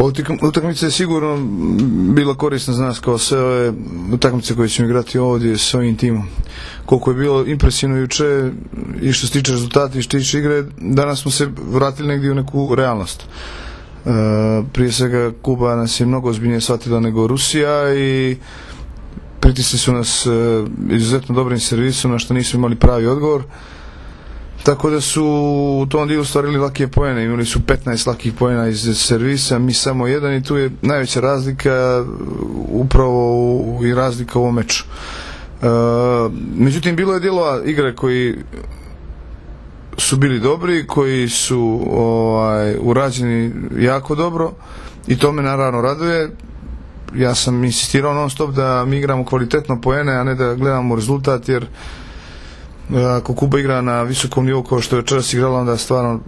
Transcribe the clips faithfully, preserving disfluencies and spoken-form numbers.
Pa utakmica je sigurno bila korisna za nas kao sve ove utakmice koje ćemo igrati ovdje s ovim timom. Koliko je bilo impresivno juče i što se tiče rezultata i što se tiče igre, danas smo se vratili negdje u neku realnost. E, prije svega Kuba nas je mnogo ozbiljnije shvatila nego Rusija i pritisli su nas e, izuzetno dobrim servisom na što nismo imali pravi odgovor. Tako da su u tom dijelu stvarili lakije poene, imali su petnaest lakih poena iz servisa, mi samo jedan i tu je najveća razlika upravo i razlika u ovom meču. E, međutim, bilo je dijelova igre koji su bili dobri, koji su ovaj, urađeni jako dobro i to me naravno raduje. Ja sam insistirao non stop da mi igramo kvalitetno poene, a ne da gledamo rezultat, jer ako Kuba igra na visokom nivou kao što je večeras igrala, onda stvarno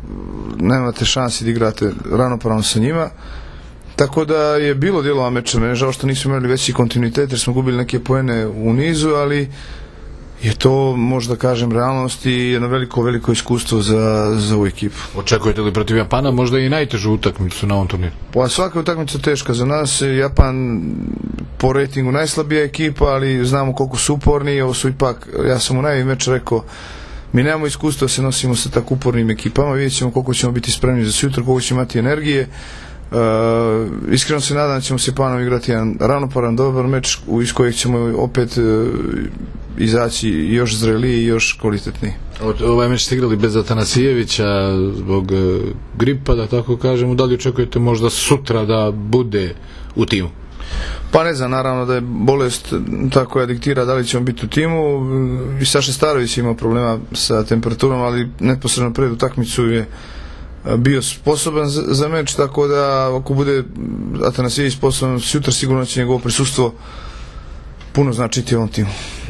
nemate šansi da igrate ravnopravno sa njima. Tako da je bilo dijelova meča, mene žao što nismo imali veći kontinuitet jer smo gubili neke poene u nizu, ali je to, možda kažem, realnost i jedno veliko, veliko iskustvo za, za ovu ekipu. Očekujete li protiv Japana možda i najtežu utakmicu na ovom turniru? Pa svaka utakmica teška za nas. Japan po rejtingu najslabija ekipa, ali znamo koliko su uporni. Ovo su ipak, ja sam u najvi meč rekao, mi nemamo iskustva da se nosimo sa tako upornim ekipama, vidjet ćemo koliko ćemo biti spremni za sutra, koliko ćemo imati energije. Uh, iskreno se nadam da ćemo se Japanom igrati jedan ravnopravan, dobar meč iz kojeg ćemo opet uh, izaći još zreliji i još kvalitetniji. Ovaj meč ste igrali bez Atanasijevića zbog uh, gripa, da tako kažemo. Da li očekujete možda sutra da bude u timu? Pa ne znam, naravno da je bolest ta koja diktira da li ćemo biti u timu. I Saša Starović imao problema sa temperaturom, ali neposredno pred utakmicu je bio sposoban za, za meč, tako da ako bude Atanasijević sposoban sutra, sigurno će njegovo prisustvo puno značiti u ovom timu.